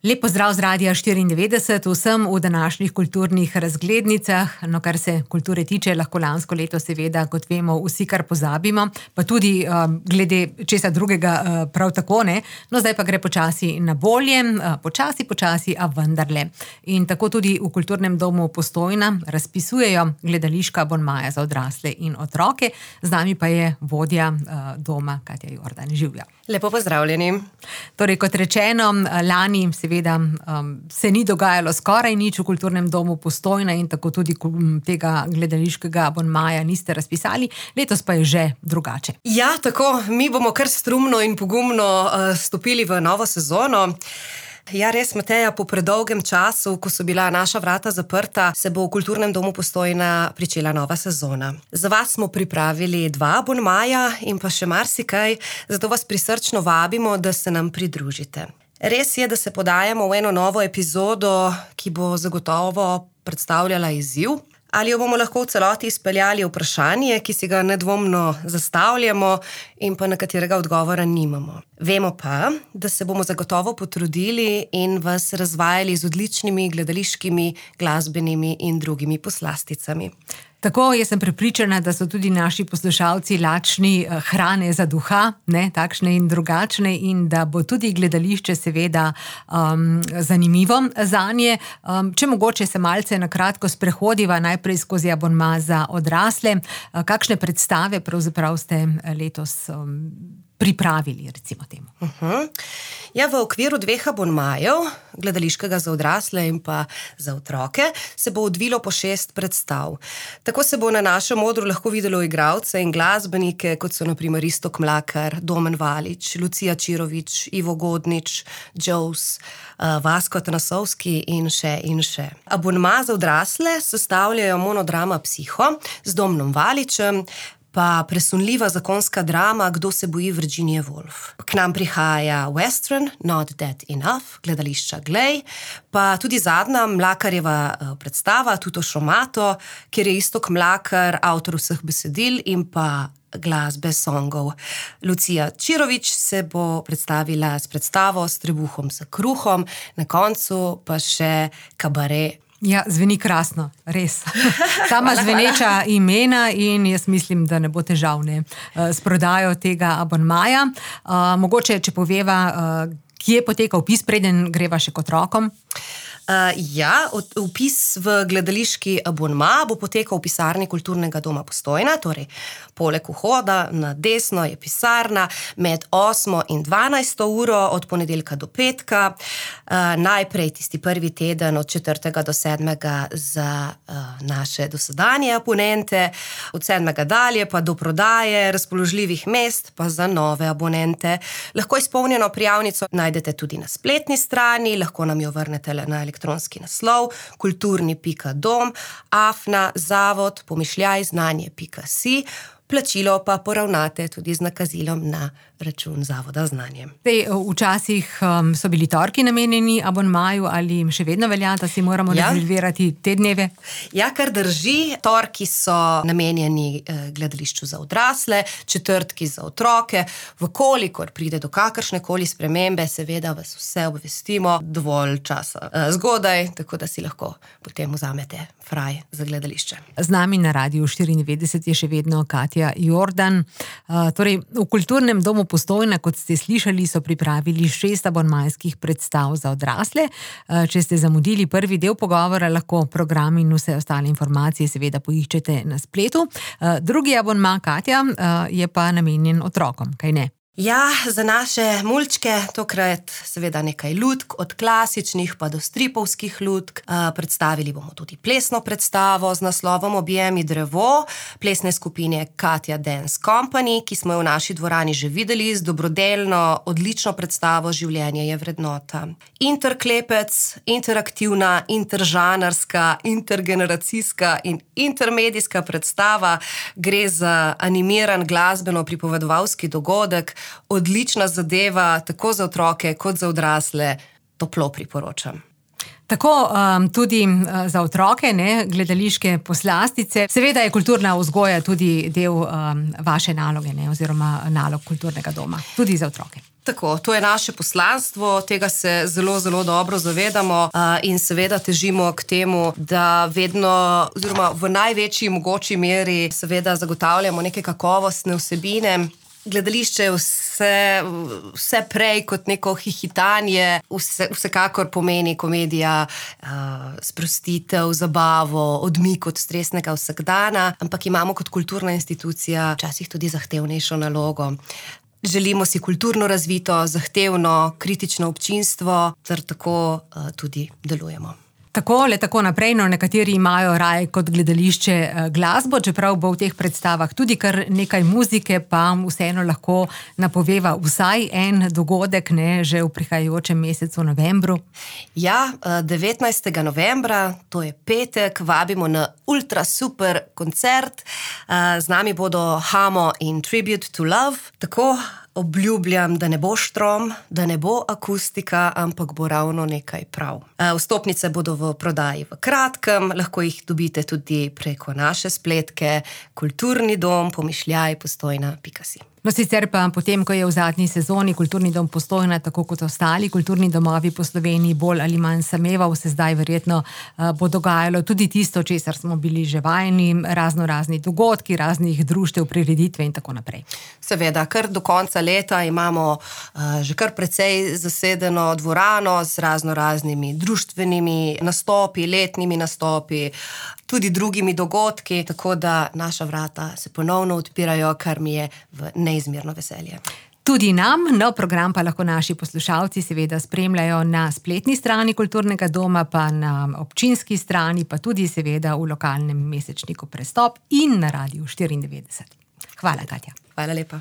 Lep pozdrav z Radia 94 vsem v današnjih kulturnih razglednicah. No, kar se kulture tiče, lahko lansko leto seveda, kot vemo, vsi kar pozabimo, pa tudi glede česa drugega prav tako ne. No, zdaj pa gre počasi na bolje, počasi, a vendarle. In tako tudi v Kulturnem domu Postojna razpisujejo gledališka abonmaja za odrasle in otroke. Z nami pa je vodja doma Katja Jordan. Živjo. Lepo pozdravljeni. Torej, kot rečeno, lani seveda se ni dogajalo skoraj nič v Kulturnem domu Postojna in tako tudi tega gledališkega abonmaja niste razpisali. Letos pa je že drugače. Ja, tako, mi bomo kar strumno in pogumno stopili v novo sezono. Ja, res, Mateja, po predolgem času, ko so bila naša vrata zaprta, se bo v Kulturnem domu Postojna pričela nova sezona. Za vas smo pripravili 2 abonmaja in pa še marsikaj, zato vas prisrčno vabimo, da se nam pridružite. Res je, da se podajamo v eno novo epizodo, ki bo zagotovo predstavljala izziv. Ali jo bomo lahko v celoti izpeljali vprašanje, ki si ga nedvomno zastavljamo in pa na katerega odgovora nimamo. Vemo pa, da se bomo zagotovo potrudili in vas razvajali z odličnimi gledališkimi, glasbenimi in drugimi poslasticami. Tako, jaz sem prepričana, da so tudi naši poslušalci lačni hrane za duha, ne, takšne in drugačne, in da bo tudi gledališče seveda zanimivo zanje. Če mogoče se malce na kratko sprehodiva najprej skozi abonma za odrasle, kakšne predstave pravzaprav ste letos pripravili, recimo temu? Ja, v okviru 2 abonmajev, gledališkega za odrasle in pa za otroke, se bo odvilo po 6 predstav. Tako se bo na našem odru lahko videlo igralce in glasbenike, kot so na primer Iztok Mlakar, Domen Valič, Lucija Čirović, Ivo Godnič, Joes, Vasko Tanasovski in še. Abonma za odrasle sestavljajo monodrama Psiho z Domnom Valičem, pa presunljiva zakonska drama Kdo se boji Virginije Woolf. K nam prihaja western Not Dead Enough, gledališča Glej, pa tudi zadnja Mlakarjeva predstava Tuto Šomato, kjer je Iztok Mlakar avtor vseh besedil in pa glasbe songov. Lucija Čirović se bo predstavila s predstavo S trebuhom za kruhom, na koncu pa še kabare. Ja, zveni krasno, res. Sama zveneča imena in jaz mislim, da ne bo težav s prodajo tega abonmaja. Mogoče, če poveva, kje poteka vpis, preden greva še k otrokom? Ja, vpis v gledališki abonma bo potekal v pisarni Kulturnega doma Postojna, torej poleg vhoda na desno je pisarna med 8. in 12. uro od ponedeljka do petka. Najprej tisti prvi teden od 4. do 7. za naše dosedanje abonente, od 7. dalje pa do prodaje razpoložljivih mest pa za nove abonente. Lahko izpolnjeno prijavnico najdete tudi na spletni strani, lahko nam jo vrnete na elektronski naslov kulturni.dom@zavod-znanje.si. Plačilo pa poravnate tudi z nakazilom na račun Zavoda Znanje. Včasih so bili torki namenjeni abonmaju, ali še vedno velja, da si moramo rezervirati te dneve? Ja, kar drži. Torki so namenjeni gledališču za odrasle, četrtki za otroke. Vkolikor pride do kakršnekoli spremembe, seveda vas vse obvestimo dovolj časa zgodaj, tako da si lahko potem vzamete fraj za gledališče. Z nami na Radiu 94 je še vedno Katja Jordan. Torej, v Kulturnem domu Postojna, kot ste slišali, so pripravili 6 abonmajskih predstav za odrasle. Če ste zamudili prvi del pogovora, lahko program in vse ostale informacije seveda poiščete na spletu. Drugi abonma, Katja, je pa namenjen otrokom, kaj ne? Ja, za naše mulčke tokrat seveda nekaj lutk, od klasičnih pa do stripovskih lutk. Predstavili bomo tudi plesno predstavo z naslovom Objemi drevo, plesne skupine Katja Dance Company, ki smo jo v naši dvorani že videli z dobrodelno, odlično predstavo Življenje je vrednota. Interklepec, interaktivna, interžanarska, intergeneracijska in intermedijska predstava. Gre za animiran glasbeno-pripovedovalski dogodek, odlična zadeva, tako za otroke kot za odrasle, toplo priporočam. Tako tudi za otroke, ne, gledališke poslastice. Seveda je kulturna vzgoja tudi del vaše naloge, ne, oziroma nalog kulturnega doma, tudi za otroke. Tako, to je naše poslanstvo, tega se zelo, zelo dobro zavedamo in seveda težimo k temu, da vedno, oziroma v največji mogoči meri seveda zagotavljamo neke kakovostne vsebine. Gledališče je vse prej kot neko hihitanje, vsekakor pomeni komedija, sprostitev, zabavo, odmik od stresnega vsakdana, ampak imamo kot kulturna institucija včasih tudi zahtevnejšo nalogo. Želimo si kulturno razvito, zahtevno, kritično občinstvo, ter tako tudi delujemo. Tako naprej, no, nekateri imajo raje kot gledališče glasbo, čeprav bo v teh predstavah tudi kar nekaj muzike, pa vseeno lahko napoveva vsaj en dogodek, ne, že v prihajajočem mesecu novembru. Ja, 19. novembra, to je petek, vabimo na ultra super koncert. Z nami bodo Hamo in Tribute to Love. Tako obljubljam, da ne bo štrom, da ne bo akustika, ampak bo ravno nekaj prav. Vstopnice bodo v prodaji v kratkem, lahko jih dobite tudi preko naše spletke Kulturni dom Pomišljaj Postojna.si. No, sicer pa potem, ko je v zadnji sezoni Kulturni dom Postojna, tako kot ostali kulturni domovi po Sloveniji, bolj ali manj sameval, se zdaj verjetno bo dogajalo tudi tisto, česar smo bili že vajeni, razni dogodki, raznih društev, prireditve in tako naprej. Seveda, kar do konca leta imamo že kar precej zasedeno dvorano z raznimi društvenimi nastopi, letnimi nastopi, tudi drugimi dogodki, tako da naša vrata se ponovno odpirajo, kar mi je v neizmerno veselje. Tudi nam, no, program pa lahko naši poslušalci seveda spremljajo na spletni strani Kulturnega doma, pa na občinski strani, pa tudi seveda v lokalnem mesečniku Prestop in na Radiu 94. Hvala, Katja. Hvala lepa.